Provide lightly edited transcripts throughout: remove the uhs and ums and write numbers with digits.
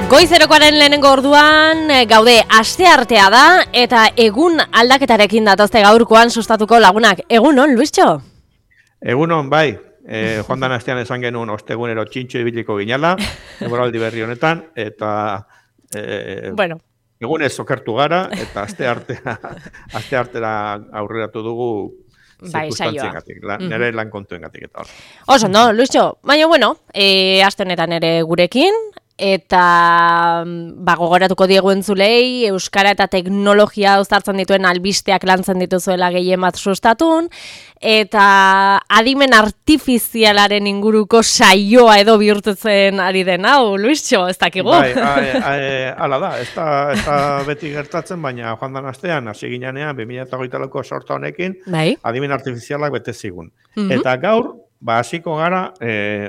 Goizerokoaren lehenengo orduan gaude asteartea da eta egun aldaketarekin datozte gaurkoan sustatuko lagunak. Egunon, Luistxo? Egunon, bai. Joan dan astean esan genuen ostegunero txintxo ibiliko ginala, egoraldi berri honetan, eta Bueno, egunez okertu gara, eta asteartera aurreratu dugu bai, saioa. zirkunstantziengatik, nire lan kontuengatik eta hor. Oso, no, Luistxo, baina bueno, aste honetan ere gurekin, eta gogoratuko diegu entzulei, euskara eta teknologia uztartzen dituen albisteak lantzen dituzuela gehien bat sustatun, eta adimen artifizialaren inguruko saioa edo bihurtzen ari den hau, Luistxo, ez dakigu? Bai, hala da, ez da beti gertatzen, baina joan dan astean, hasi ginean 2008ko sorta honekin, Bai. adimen artifizialak bete zigun. Eta gaur, hasiko gara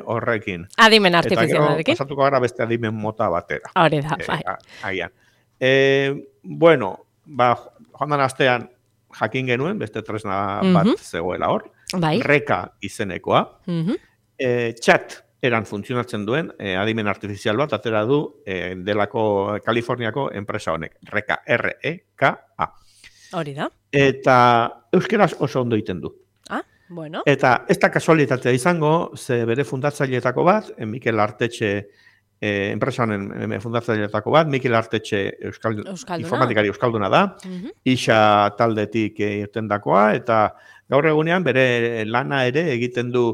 horrekin. Adimen artifizialarekin. Eta gero, pasatuko gara beste adimen mota batera. Hori da, bai. Agian. Bueno, joan dan astean jakin genuen, beste tresna bat zegoela hor. Bai. Reka izenekoa. Chat eran funtzionatzen duen adimen artifizial bat atera du delako Kaliforniako enpresa honek. Reka, R-E-K-A. Hori da. Eta euskeraz oso ondo egiten du. Bueno. Eta ez da kasualitatea izango, ze bere fundatzaileetako bat, Mikel Artetxe, enpresanen fundatzaileetako bat, Mikel Artetxe informatikari euskalduna da, isa taldetik irtendakoa, eta gaur egunean bere lana ere egiten du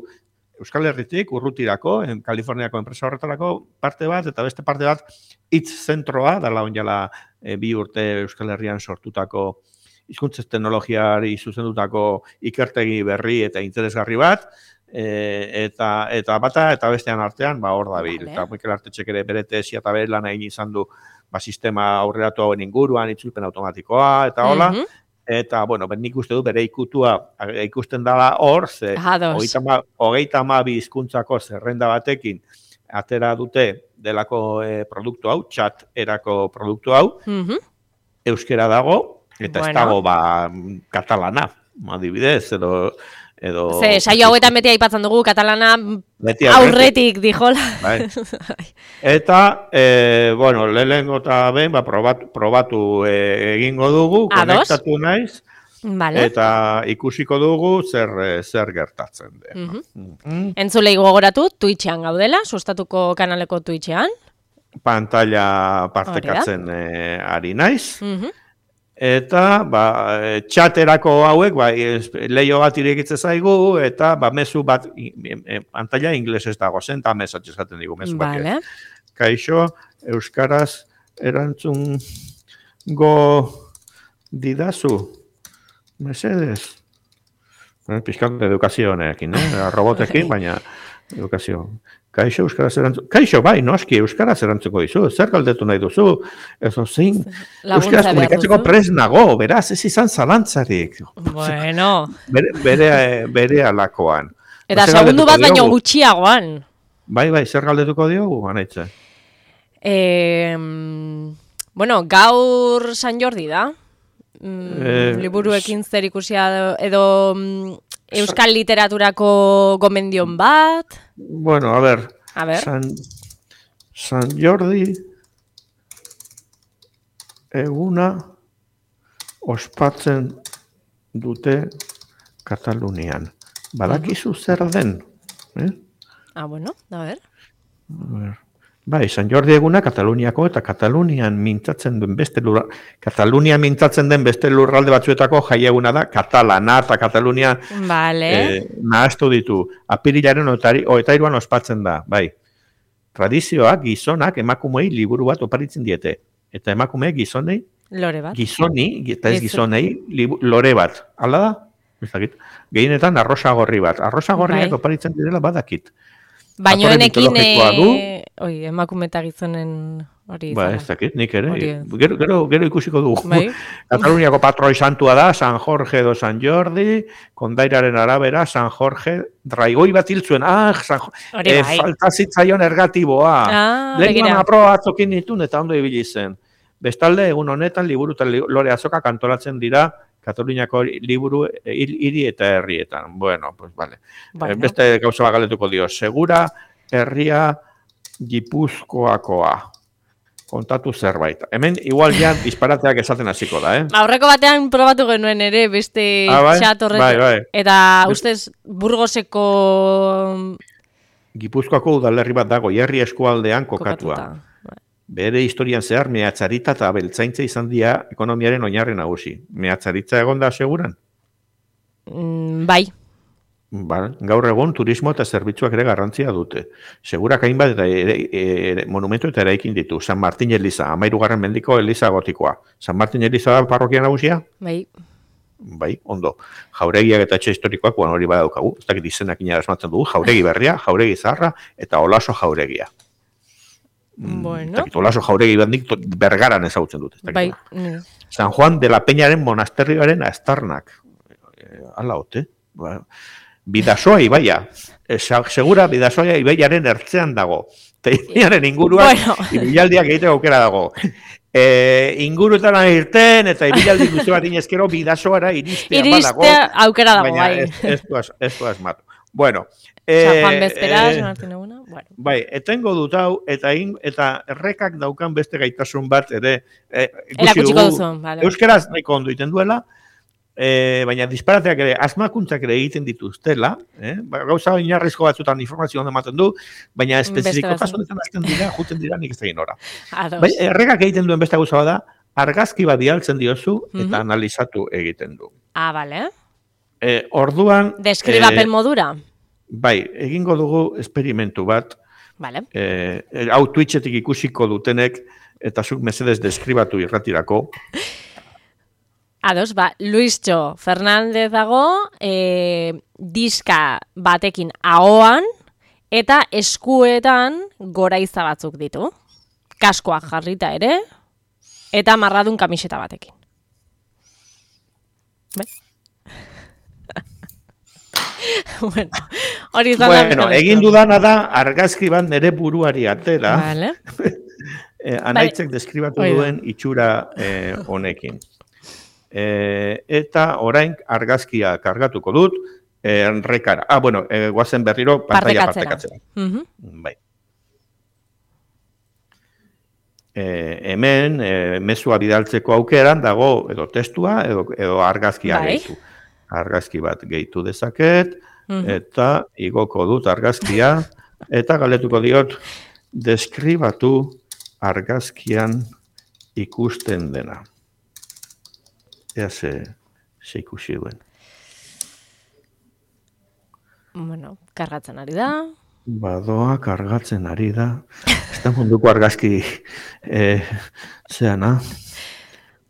Euskal Herritik urrutirako, Kaliforniako enpresa horretarako parte bat, eta beste parte bat hitz zentroa, dala onjala 2 urte Euskal Herrian sortutako hizkuntza teknologiari zuzendutako ikertegi berri eta interesgarri bat, eta bata eta bestean artean hor dabil. Eta Mikel Artetxek ere bere tesia eta bere lan egin izan du sistema aurreratu hauen inguruan, itzulpen automatikoa, eta hola. Eta, bueno, nik uste du bere ikutua ikusten dela hor, ze 32 hizkuntzako zerrenda batekin atera dute delako produktu hau, chat erako produktu hau, euskera dago, eta ez dago katalana, adibidez, edo... Ze, saio hauetan beti aipatzen dugu, katalana aurretik dijola. Bai. Eta, bueno, lehenengo eta behin, probatu egingo dugu, konektatu naiz, eta ikusiko dugu zer gertatzen den. Entzulei gogoratu, Twitchean gaudela, sustatuko kanaleko Twitchean. Pantalla partekatzen ari naiz. Eta, txaterako hauek, leio bat irekitzen zaigu, eta mezu bat, pantalla inglesez dago zen, eta mesatxe esaten digu, mezu bat. Kaixo, euskaraz erantzun didazu, mesedez. Pizkan edukazio honekin, robotekin, baina edukazio. Kaixo, euskaraz erantzun... Kaixo, bai, noski, euskaraz erantzuko dizu. Zer galdetu nahi duzu? Ezo zein, euskaraz komunikatzeko pres nago, beraz, ez izan zalantzarik. Bueno. Bere alakoan. Eta segundu bat baino gutxiagoan. Bai, zer galdetuko diogu, anaitze? Bueno, gaur San Jordi da. Liburuekin zer ikusia edo... Euskal literaturako gomendion bat? Bueno, a ver. San Jordi eguna ospatzen dute Katalunian. Badakizu zer den? Bueno, a ver. Bai, San Jordi eguna Kataluniako eta Katalunian mintzatzen den beste lurralde batzuetako jaieguna da katalana eta Katalunia nahaztu ditu. Apirilaren 23an ospatzen da, bai. Tradizioak gizonak emakumei liburu bat oparitzen diete. Eta emakumeek gizonei lore bat. Gizoni, eta ez gizonei lore bat. Hala da? Gehienetan arrosa gorri bat. Arrosa gorriak oparitzen direla badakit. Baina enekin emakume eta gizonen hori izan. Ez dakit, nik ere. Gero ikusiko dugu. Kataluniako patroi santua da, San Jorge edo San Jordi, kondairaren arabera, San Jorge, draigoi bat hiltzuen, falta zitzaion ergatiboa. Lehen aproa atzokin ditun eta ondo ibili zen. Bestalde, egun honetan, liburu eta lore azokak antolatzen dira Kataluniako liburu hiri eta herrietan. Bueno, pues vale. Beste gauza bat galdetuko dio. Segura herria Gipuzkoakoa. kontatu zerbait. Hemen, igual ja, disparateak esaten hasiko da, Aurreko batean probatu genuen ere, beste txat horretu. Bai. Eta, ustez, Burgoseko... Gipuzkoako udalerri bat dago, Herri eskualdean kokatua. Bere historian zehar, mehatzaritza eta abeltzaintza izan dira ekonomiaren oinarri nagusi. Mehatzaritza egon da seguran? Bai. Gaur egun turismo eta zerbitzuak ere garrantzia dute. Segurak hainbat eta monumentu eta eraikin ditu. San Martin Eliza, 13. mendiko Eliza gotikoa. San Martin Eliza da parrokia nagusia? Bai, ondo. Jauregiak eta etxe historikoak hori badaukagu. Ez dakit izenak asmatzen dugu. Jauregi berria, jauregi zaharra eta Olaso jauregia. Bueno. Olaso jauregi bandik Bergaran ezagutzen dute. Bai. San Juan de la Peñaren monasterioaren aztarnak. Ala hote. Bidasoa ibaia. Segura Bidasoa ibaiaren ertzean dago. Ibaiaren inguruan ibilaldiak egiteko aukera dago. Inguruetan irten eta ibilaldi guzti bat inezkero Bidasoara iristea badago. Iristea aukera dago, bai. Ez du asmatu. Bueno. San Juan Bezperaz, Martin eguna. Bai, etengo dut hau, eta errekak daukan beste gaitasun bat ere erakutsiko duzu. Euskaraz nahiko ondo iten duela, baina disparateak ere, asmakuntzak ere egiten dituztela, gauza oinarrizko batzutan informazio ondo ematen du, baina espezifikotasun azten dira, juten dira nik ez egin ora. Errekak egiten duen beste gauza da, argazki bat dialtzen diozu eta analizatu egiten du. Bale. Orduan... Deskribapen modura? Bai, egingo dugu esperimentu bat. Vale. Hau Twitchetik ikusiko dutenek, eta zuk mesedez deskribatu irratirako. Ados, Luistxo Fernández dago, diska batekin ahoan, eta eskuetan goraiza batzuk ditu. Kaskoak jarrita ere, eta marradun kamiseta batekin. Bai? Bueno, egin dudana da argazki bat nere buruari atera. Vale. Anaitzek deskribatu duen itxura honekin. Eta orain argazkia kargatuko dut rekara. Guazen berriro pantalla partekatzera. Bai. Hemen mezua bidaltzeko aukeran dago edo testua edo argazkia gehitu. Argazki bat gehitu dezaket, eta igoko dut argazkia, eta galetuko diot, deskribatu argazkian ikusten dena. Ea ze ikusi duen. Bueno, kargatzen ari da. Badoa, kargatzen ari da. Ez da munduko argazki zeana.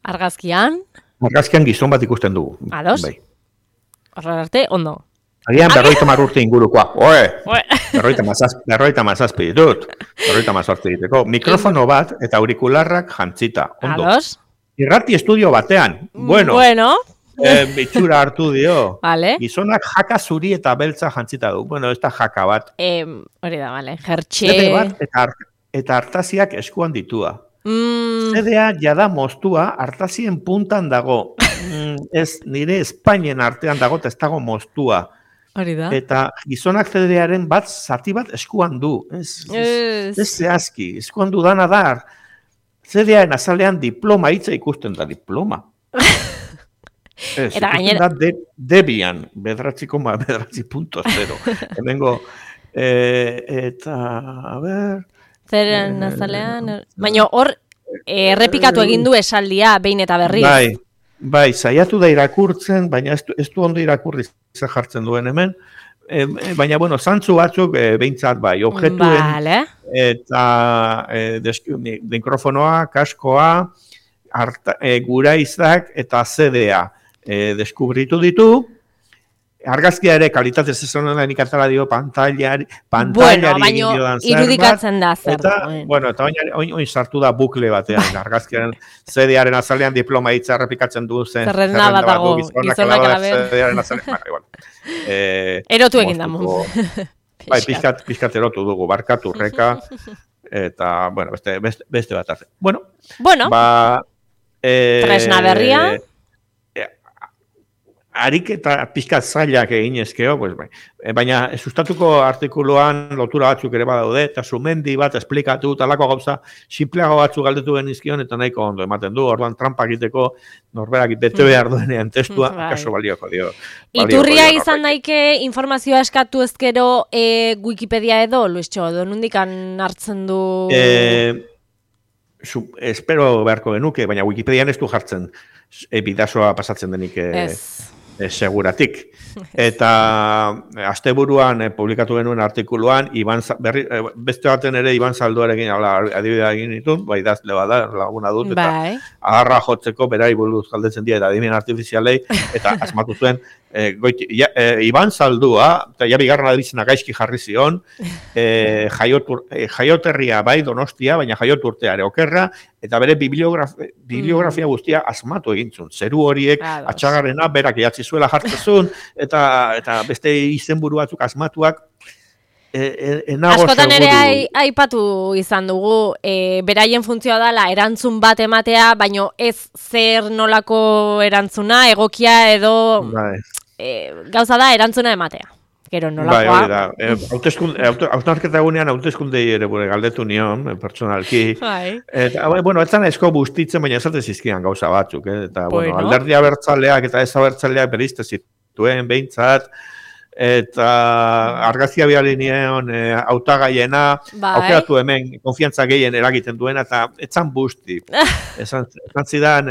Argazkian? Argazkian gizon bat ikusten dugu. Ados? Bai. Horra arte, ondo. Agian 50 urte ingurukoa. Oe! 50 ditut. 50 diteko. Mikrofono bat eta aurikularrak jantzita. Ondo. Ados? Irrati estudio batean. Bueno. Bitxura hartu dio. Vale. Gizonak jaka zuri eta beltza jantzita du. Bueno, ez da jaka bat. Hori da, vale. Jertxe. Zede bat eta hartaziak eskuan ditua. Zedea jada moztua hartazien puntan dago. Ez nire Espainien artean dago eta ez dago moztua. Hori da. Eta gizonak zedearen bat zati bat eskuan du. Ez zehazki. Eskuan du dana da. Zedearen azalean diploma hitza ikusten da diploma. Eta gainera... Debian, 9.0. Hemengo, eta, a ber... Zeren azalean... Baina hor, errepikatu egin du esaldia, behin eta berriz. Bai, saiatu da irakurtzen, baina ez du ondo irakurri jartzen duen hemen. Baina, bueno, zantzu batzuk behintzat bai, objetuen, eta mikrofonoa, kaskoa, guraizak eta CD-a deskubritu ditu. Argazkia ere kalitatez ez honen ikatala dio pantailari baina irudikatzen da zer. Eta oin sartu da bukle batean, argazkiaren CD-aren azalean diploma hitza errepikatzen du zen. Zerrenda bat dago, gizonak alaber. Erotu egin damu. Bai, pixkat erotu dugu, barkatu reka, eta, bueno, beste bat arte. Bueno, tresna berria. ariketa pixkat zailak egin ezkeo, pues, baina sustatuko artikuluan lotura batzuk ere badaude, eta sumendi bat esplikatu, talako gauza, simpleago batzuk galdetu genizkion, eta nahiko ondo ematen du, orduan trampa egiteko norberak bete behar duenean testua, kaso balioko dio. Iturria izan daike informazioa eskatu ezkero Wikipedia edo, Luistxo, edo nundikan hartzen du... espero beharko genuke, baina Wikipedian ez du jartzen bidazoa pasatzen denik seguratik. Eta asteburuan publikatu genuen artikuluan, beste baten ere Iban Zalduarekin adibidea egin ditun, bai idazle bada, laguna dut, eta agarra jotzeko berari buruz galdetzen dira, eta adimen artifizialei, eta asmatu zuen, Iban Zaldua, eta ja bigarren adibizena gaizki jarri zion, jaioterria bai Donostia, baina jaioturteare okerra, eta bere bibliografia guztia asmatu egintzun. Zeru horiek, atxagarrena, berak idatzi zuela jartzezun, eta beste izenburu batzuk asmatuak, askotan ere aipatu izan dugu, beraien funtzioa dela erantzun bat ematea, baino ez zer nolako erantzuna, egokia edo gauza da erantzuna ematea. Gero nolakoa. Hausnarketa egunean hauteskundei ere galdetu nion, personalki. Eta, bueno, etzan esko bustitzen, baina esate zizkian gauza batzuk. Eta, bueno, alderdi abertzaleak eta ez abertzaleak berizte zituen, behintzat, eta argazia bialinean hautagaiena, aukeratu hemen konfiantza gehien eragiten duena, eta etzan busti. Esan zidan,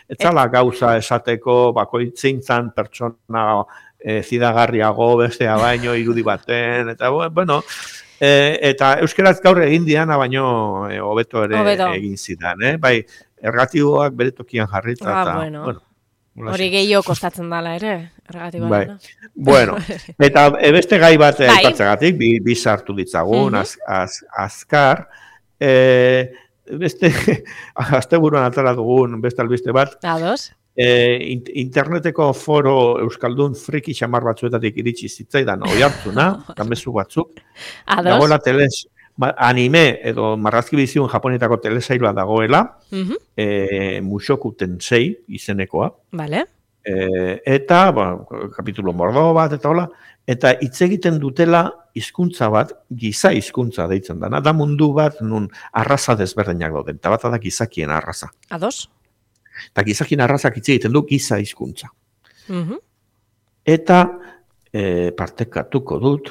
etzala gauza esateko, bakoitzintzan pertsona zidagarriago, bestea baino, irudi baten, eta bueno, eta euskeraz gaur egin diana baino hobeto ere egin zidan, bai, ergatiboak bere tokian jarrita, eta, bueno, hori gehiago kostatzen dela ere, ergatiboa. Bai, bueno, eta beste gai bat aipatzagatik, bi sartu ditzagun, azkar, beste, asteburuan atara dugun, beste albiste bat, interneteko foro euskaldun friki xamar batzuetatik iritsi zitzaidan oihartzuna, gamezu batzuk. Dagoela anime edo marrazki biziun japonetako telesailua dagoela, Mushoku Tensei izenekoa. Eta, kapitulo mordo bat, eta hola, eta hitz egiten dutela hizkuntza bat, giza hizkuntza deitzen dana, da mundu bat nun arraza desberdinak dauden, eta bat da gizakien arraza. Eta gizakien arrazak hitz egiten du giza hizkuntza. Eta partekatuko dut,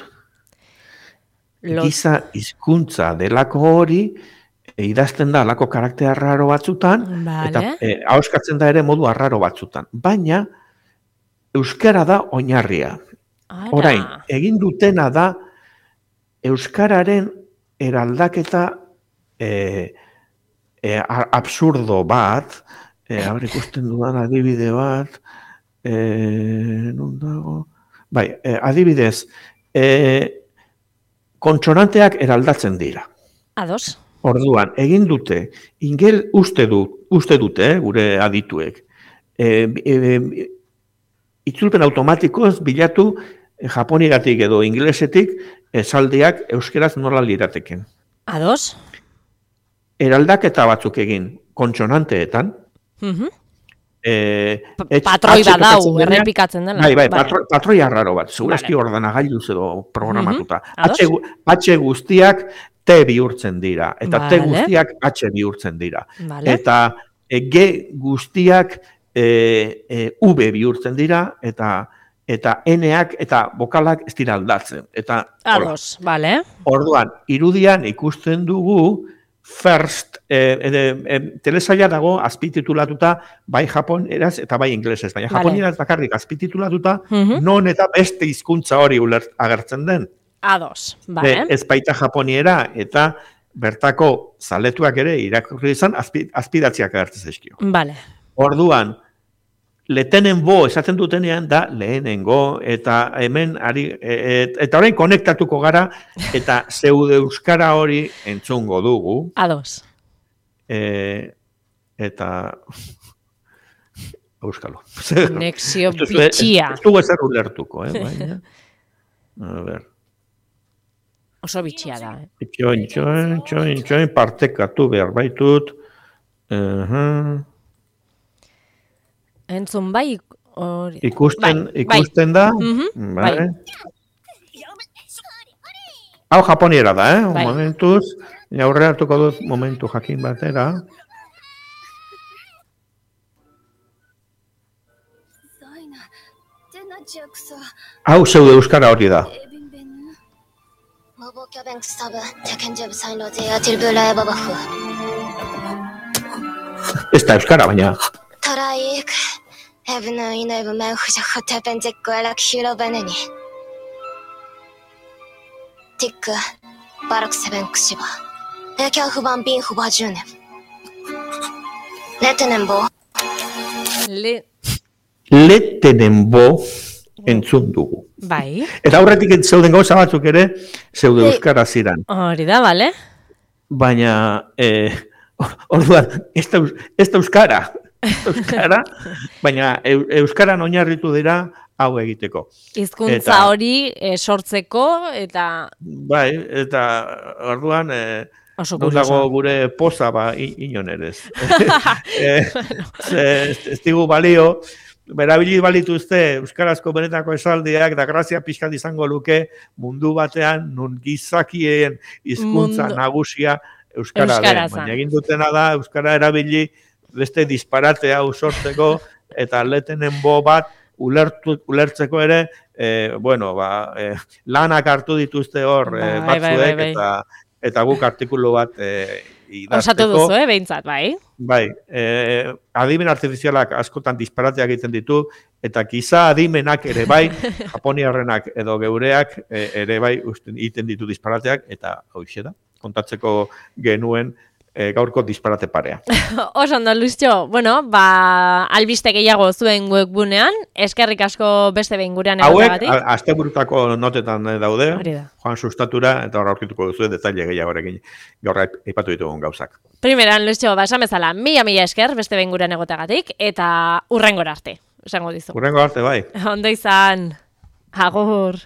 giza hizkuntza delako hori, idazten da alako karakter arraro batzutan, eta ahoskatzen da ere modu arraro batzutan. Baina, euskara da oinarria. Orain, egin dutena da, euskararen eraldaketa absurdo bat, ikusten dudan adibide bat, non dago? Bai, adibidez, kontsonanteak eraldatzen dira. Orduan, egin dute, uste dute, gure adituek, itzulpen automatikoz bilatu japonigatik edo inglesetik esaldiak euskeraz nola lirateken. Eraldaketa batzuk egin kontsonanteetan, patroi bat dau, errepikatzen dela. Bai, patroi arraro bat, segurazki ordenagailuz edo programatuta. H guztiak T bihurtzen dira, eta T guztiak H bihurtzen dira. Eta G guztiak V bihurtzen dira, eta N-ak eta bokalak ez dira aldatzen. Orduan, irudian ikusten dugu, first, telesaila dago azpititulatuta bai japoneraz eta bai inglesez, baina japoneraz bakarrik azpititulatuta non eta beste hizkuntza hori agertzen den. Ez baita japoniera eta bertako zaletuak ere irakurri izan azpidatziak agertzen zaizkio. Orduan, letenengo esaten dutenean da lehenengo, eta hemen eta orain konektatuko gara, eta zeude euskara hori entzungo dugu. Eta euskalo. Konexio bitxia. Ez dugu ezer ulertuko, baina. A ver. Oso bitxia da. Txoin, partekatu behar baitut. Entzun bai, Ikusten da. Bai. Hau japoniera da, momentuz. Aurre hartuko dut momentu jakin batera. Hau zeude euskara hori da. Ez da euskara, baina. Letenenbo entzun dugu. Bai. Eta aurretik zeuden gauza batzuk ere, zeude euskara ziran. Hori da, bale? Baina, orduan, ez da euskara. Baina euskaran oinarritu dira hau egiteko. Hizkuntza hori sortzeko eta... Bai, eta orduan... Non dago gure poza inon ere ez. Ez digu balio, berabili balituzte euskarazko benetako esaldiak da grazia pixkat izango luke mundu batean nun gizakien hizkuntza nagusia euskara den. Baina egin dutena da euskara erabili beste disparate hau sortzeko eta letenenbo bat ulertzeko ere, lanak hartu dituzte hor batzuek eta guk artikulu bat idazteko. Osatu duzu, behintzat, bai? Bai, adimen artifizialak askotan disparateak egiten ditu, eta giza adimenak ere bai, japoniarrenak edo geureak ere bai egiten ditu disparateak, eta hoxe da, kontatzeko genuen gaurko disparate parea. Oso ondo, Luistxo, albiste gehiago zuen webgunean, eskerrik asko beste behin gurean egotagatik. Hauek, asteburutako notetan daude, Joan Sustatura, eta horra aurkituko duzu detaile gehiagorekin gaur aipatu ditugun gauzak. Primeran, Luistxo, esan bezala, mila esker beste behin gurean egotagatik, eta hurrengora arte, esango dizu. Hurrengora arte, bai. Ondo izan, agur.